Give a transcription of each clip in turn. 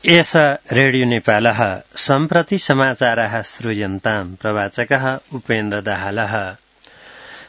एष रेडियो नेपालः सम्प्रति समाचाराः श्रूयन्ताम् प्रवाचकः उपेन्द्र दाहालः।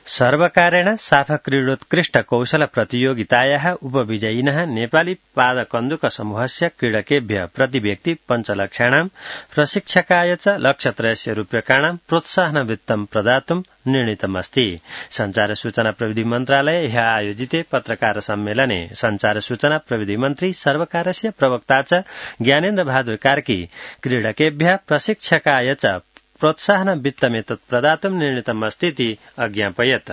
सर्वकारेण साफक्रीडोत्कृष्ट कौशल प्रतियोगितायाः उपविजयिनः नेपाली पादकन्दुक समूहस्य क्रीडकेभ्य प्रतिव्यक्ति 5 लक्षाणां प्रशिक्षकाय च लक्षत्रयस्य रूप्यकाणां प्रोत्साहनवित्तं प्रदातुं निर्णीतमस्ति। संचार सूचना प्रविधि मन्त्रालये ह्यः आयोजिते पत्रकार सम्मेलने संचार सूचना प्रविधि मन्त्री सर्वकारस्य प्रवक्ता च ज्ञानेन्द्र बहादुर कार्की क्रीडकेभ्य प्रशिक्षकाय च प्रोत्साहन वित्तमेतत् प्रदातुं निर्णीतमस्तीति अज्ञापयत्।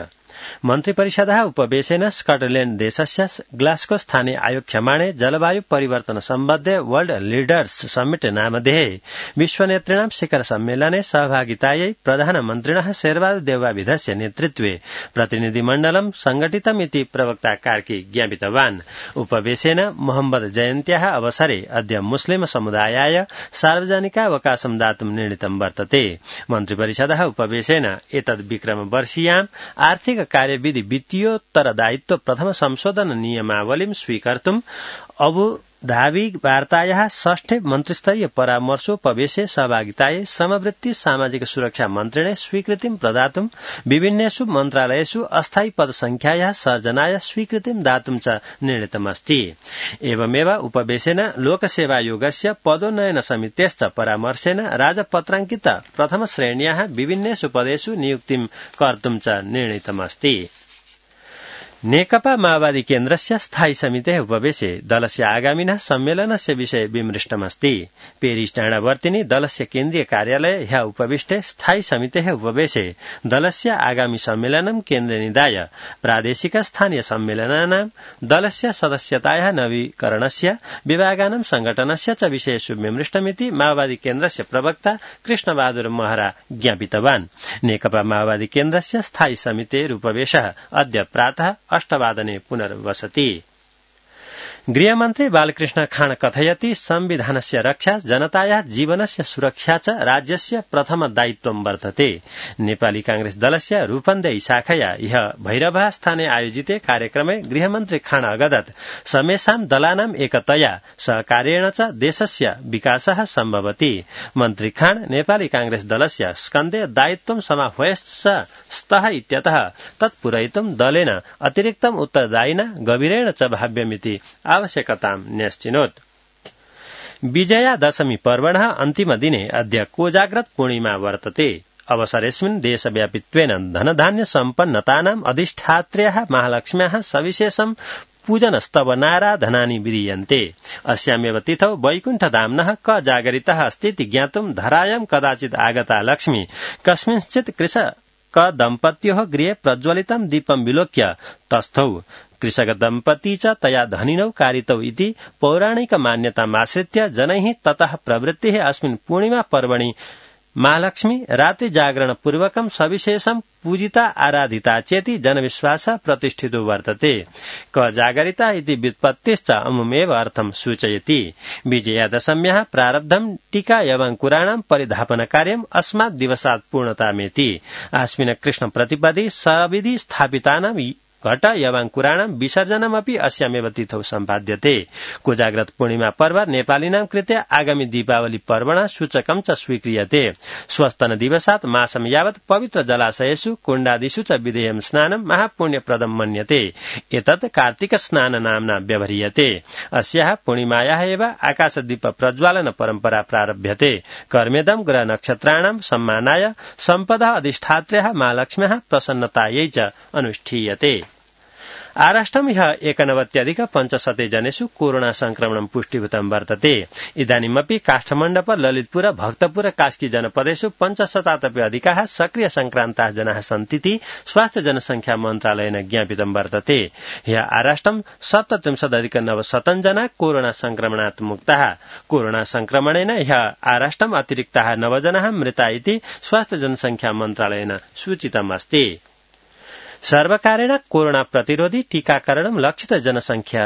मन्त्रिपरिषदः उपवेशेन स्कॉटलैंड देशस्य ग्लास्गो स्थाने आयोक्ष्यमाणे जलवायु परिवर्तन सम्बद्धे वर्ल्ड लीडर्स समिट नामधेये विश्वनेतृणां शिखर सम्मेलने सहभागितायै प्रधानमन्त्रिणः शेरबहादुर देउवाविधस्य नेतृत्वे प्रतिनिधिमण्डलं संगठितमिति प्रवक्ता कार्की ज्ञापितवान्। उपवेशेन मोहम्मद जयन्त्याः अवसरे अद्य मुस्लिम समुदायाय सार्वजनिकावकाशं दातुं निर्णीतं वर्तते। मन्त्रिपरिषदः उपवेशेन एतद् विक्रमवर्षीयाम् आर्थिक कार्यविधि वित्तीयोत्तरदायित्व प्रथम संशोधन नियमावलीं स्वीकर्तुम् अबुधाबी वार्तायाः 6ठे मन्त्रिस्तरीय परामर्शोपवेशे सहभागितायै श्रमवृत्ति सामाजिक सुरक्षा मन्त्रिणे स्वीकृतिं प्रदातुं विभिन्नेषु मन्त्रालयेषु अस्थायी पदसंख्यायाः सर्जनाय स्वीकृतिं दातुं च निर्णीतमस्ति। एवमेव उपवेशेन लोकसेवायोगस्य पदोन्नयन समितेश्च परामर्शेन राजपत्राङ्कित प्रथम श्रेण्याः विभिन्नेषु पदेषु नियुक्तिं कर्तुं च निर्णीतमस्ति। नेकपा माओवादी केन्द्रस्य स्थायी समितेः उपवेशे दलस्य आगामिनः सम्मेलनस्य विषये विमृष्टमस्ति। पेरिस डाँडावर्तिनि दलस्य केन्द्रीय कार्यालये ह्यः उपविष्टे स्थायी समितेः उपवेशे दलस्य आगामी सम्मेलनं केन्द्रे निधाय प्रादेशिक स्थानीय सम्मेलनानां दलस्य सदस्यतायाः नवीकरणस्य विभागानां संगठनस्य च विषयेषु विमृष्टमिति माओवादी केन्द्रस्य प्रवक्ता कृष्णबहादुर महरा ज्ञापितवान्। नेकपा माओवादी केन्द्रस्य स्थायी समितेः उपवेशः अद्य प्रातः 8 वादने पुनर्वसति। गृहमन्त्री बालकृष्ण खाँड कथयति संविधानस्य रक्षा जनतायाः जीवनस्य सुरक्षा च राज्यस्य प्रथम दायित्वं वर्तते। नेपाली कांग्रेस दलस्य रूपन्देही शाखया ह्यः भैरवः स्थाने आयोजिते कार्यक्रमे गृहमन्त्री खाँड अगदत् समेषां दलानां एकतया सहकार्येण च देशस्य विकासः सम्भवति। मन्त्री खाँड नेपाली कांग्रेस दलस्य स्कन्धे दायित्वं समाह्वयश्च स्तः इत्यतः तत्पूरयितुं दलेन अतिरिक्तम् उत्तरदायिना गभीरेण च भाव्यमिति आवश्यकतां न्यश्चिनोत्। विजयादशमी पर्वणः अन्तिम दिने अद्य कोजाग्रत पूर्णिमा वर्तते। अवसरेऽस्मिन् देशव्यापित्वेन धनधान्य सम्पन्नतानाम् अधिष्ठात्र्याः महालक्ष्म्याः सविशेषं पूजनस्तवनाराधनानि विधीयन्ते। अस्यामेव तिथौ वैकुण्ठधाम्नः क जागरितः अस्तीति ज्ञातुं धरायां कदाचित् आगता लक्ष्मी कस्मिंश्चित् कृषक दम्पत्योः गृहे प्रज्वलितं दीपं विलोक्य तस्थौ कृषक दम्पती च तया धनिनौ कारितौ इति पौराणिक मान्यतामाश्रित्य जनैः ततः प्रवृत्तिः अस्मिन् पूर्णिमा पर्वणि महालक्ष्मी रात्रि जागरण पूर्वकं सविशेषं पूजिता आराधिता चेति जनविश्वासः प्रतिष्ठितो वर्तते। क जागरिता इति व्युत्पत्तिश्च अमुमेव अर्थं सूचयति। विजयादशम्याः प्रारब्धं टीका एवङ्कुराणां परिधापनकार्यम् अस्मात् दिवसात् पूर्णतामेति। आस्मिन् कृष्ण प्रतिपदि सविधि स्थापितानां घट एवङ्कुराणां विसर्जनमपि अस्यामेव तिथौ सम्पाद्यते। कोजाग्रत पूर्णिमा पर्व नेपालीनां कृते आगामी दीपावली पर्वणः सूचकं च स्वीक्रियते। स्वस्तन दिवसात् मासं यावत् पवित्र जलाशयेषु कुण्डादिषु च विधेयं स्नानं महापुण्यप्रदं मन्यते। एतत् कार्तिक स्नान नाम्ना व्यवह्रियते। अस्याः पूर्णिमायाः एव आकाशदीप प्रज्वालन परम्परा प्रारभ्यते। कर्मेदं ग्रह नक्षत्राणां सम्मानाय सम्पदः अधिष्ठात्र्याः महालक्ष्म्याः प्रसन्नतायै च अनुष्ठीयते। आराष्ट्रं ह्यः 91,500 जनेषु कोरोना संक्रमणं पुष्टिभूतं वर्तते। इदानीमपि काष्ठमण्डप ललितपुर भक्तपुर कास्की जनपदेषु 500 अधिकाः सक्रिय संक्रान्ताः जनाः सन्तीति स्वास्थ्य जनसंख्या मन्त्रालयेन ज्ञापितं वर्तते। ह्यः आराष्ट्रं 37,900 जना कोरोना संक्रमणात् मुक्ताः। कोरोना संक्रमणेन ह्यः आराष्ट्रम् अतिरिक्ताः 9 जनाः मृता इति स्वास्थ्य जनसंख्या मन्त्रालयेन सूचितमस्ति। सर्वकारेण कोरोना प्रतिरोधी टीकाकरणं लक्षित जनसंख्या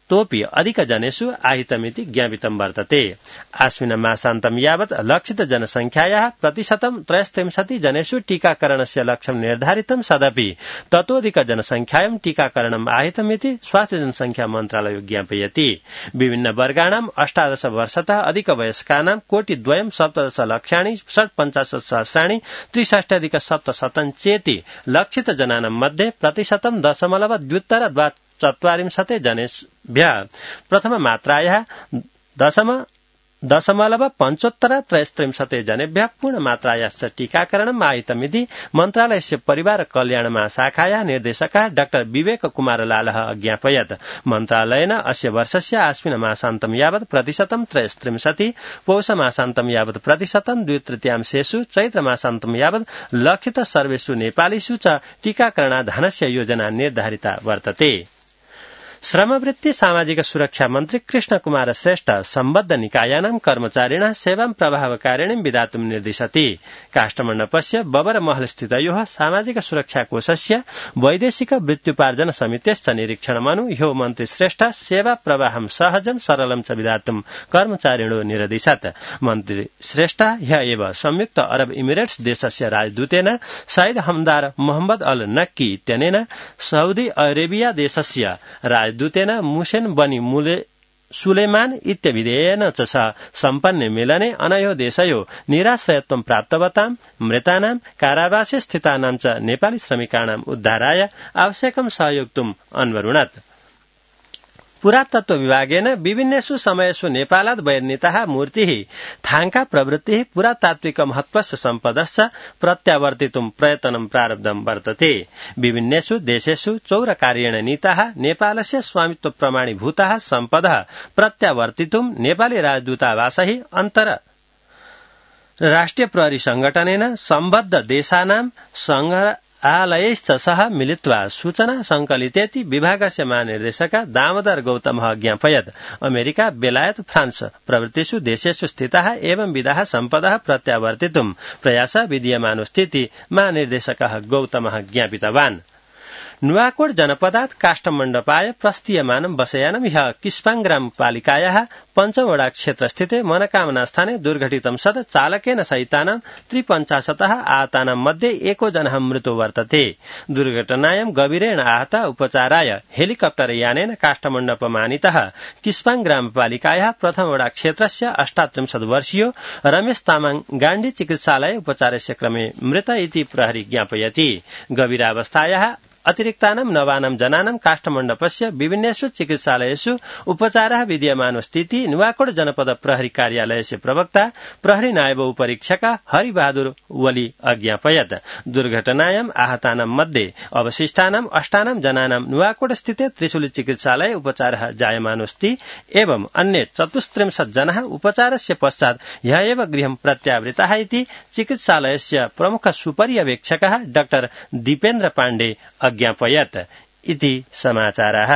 तोपि अधिकजनेषु आहितमिति ज्ञापितं वर्तते। आश्विन मासान्तं यावत् लक्षित जनसंख्यायाः प्रतिशतं 63 जनेषु टीकाकरणस्य लक्ष्यं निर्धारितं सदपि ततोऽधिक जनसंख्यायां टीकाकरणम् आहितमिति स्वास्थ्य जनसंख्या मन्त्रालयो ज्ञापयति। विभिन्न वर्गाणां 18 वर्षतः अधिक वयस्कानां 2,17,00,000 63,63,7 चेति लक्षित जनानां मध्ये प्रतिशतं 0.2 जनेभ्यः प्रथम मात्रायाः 0.75 जनेभ्यः पूर्णमात्रायाश्च टीकाकरणम् आहितमिति मन्त्रालयस्य परिवार कल्याण महाशाखायाः निर्देशकः डाक्टर विवेक कुमार लालः अज्ञापयत्। मन्त्रालयेन अस्य वर्षस्य आश्विन मासान्तं यावत् प्रतिशतं 63, पौष मासान्तं यावत् प्रतिशतं 2/3, चैत्र मासान्तं यावत् लक्षित सर्वेषु नेपालीषु च टीकाकरणाधानस्य योजना निर्धारिता वर्तते। श्रमवृत्ति सामाजिक सुरक्षा मन्त्री कृष्ण कुमार श्रेष्ठ सम्बद्ध निकायानां कर्मचारिणः सेवां प्रभावकारिणीं विधातुं निर्दिशति। काष्ठमण्डपस्य बबर महलस्थितयोः सामाजिक सुरक्षा कोषस्य वैदेशिक वृत्त्युपार्जन समितेश्च निरीक्षणमनु ह्यो मन्त्री श्रेष्ठ सेवा प्रवाहं सहजं सरलं च विधातुं कर्मचारिणो निरदिशत्। मन्त्री श्रेष्ठ ह्य एव संयुक्त अरब इमिरेट्स देशस्य राजदूतेन सईद हमदार मोहम्मद अल नक्की इत्यनेन सऊदी अरेबिया देशस्य दूतेन मुसेन बनी सुलेमान इत्यभिधेयेन च सम्पन्ने मेलने अनयो देशयो निराश्रयत्वं प्राप्तवतां मृतानां कारावासे स्थितानां च नेपाली श्रमिकाणाम् उद्धाराय आवश्यकं सहयोक्तुम् अन्वरुणत्। पुरातत्व विभागेन विभिन्नेषु समयेषु नेपालात् बहिर्नीताः मूर्तिः थाङ्का प्रवृत्तिः पुरातात्विक महत्त्वस्य सम्पदश्च प्रत्यावर्तितुं प्रयत्नं प्रारब्धं वर्तते। विभिन्नेषु देशेषु चौरकार्येण नीताः नेपालस्य स्वामित्व प्रमाणीभूताः सम्पदः प्रत्यावर्तितुं नेपाली राजदूतावासैः अन्तर्राष्ट्रिय प्रहरी संघटनेन सम्बद्ध देशानां संग्रहालयैश्च सह मिलित्वा सूचना संकलितेति विभागस्य महानिर्देशक दामोदर गौतमः ज्ञापयत्। अमेरिका, बेलायत, फ्रांस प्रभृतिषु देशेषु स्थिताः एवं विधाः सम्पदः प्रत्यावर्तितुं प्रयासः विधीयमानोऽस्तीति महानिर्देशकः गौतमः ज्ञापितवान्। नुवाकोट जनपदात् काष्ठमण्डपाय प्रस्थीयमानं बसयानं ह्यः किस्पाङ ग्रामपालिकायाः पञ्चमवडा क्षेत्रस्थिते मनोकामना स्थाने दुर्घटितं सत् चालकेन सहितानां 53 आहतानां मध्ये एको जनः मृतो वर्तते। दुर्घटनायां गभीरेण आहत उपचाराय हेलिकप्टर यानेन काष्ठमण्डपमानीतः किस्पाङ ग्रामपालिकायाः प्रथमवडा क्षेत्रस्य 38 वर्षीयो रमेश तामाङ गाण्डी चिकित्सालये उपचारस्य क्रमे मृत इति प्रहरी ज्ञापयति। गभीरावस्थायाः अतिरिक्तानां नवानां जनानां काष्ठमण्डपस्य विभिन्नेषु चिकित्सालयेषु उपचारः विधीयमानोऽस्तीति नुवाकोट जनपद प्रहरी कार्यालयस्य प्रवक्ता प्रहरी नायब उपरीक्षक हरिबहादुर वली अज्ञापयत्। दुर्घटनायां आहतानां मध्ये अवशिष्टानां 8 जनानां नुवाकोट स्थिते त्रिशूली चिकित्सालये उपचारः जायमानोऽस्ति एवं अन्ये 34 जनाः उपचारस्य पश्चात् ह्यः एव गृहं प्रत्यावृताः इति चिकित्सालयस्य प्रमुख सुपर्यवेक्षकः डाक्टर दीपेन्द्र पाण्डे अज्ञापयत् इति समाचारः।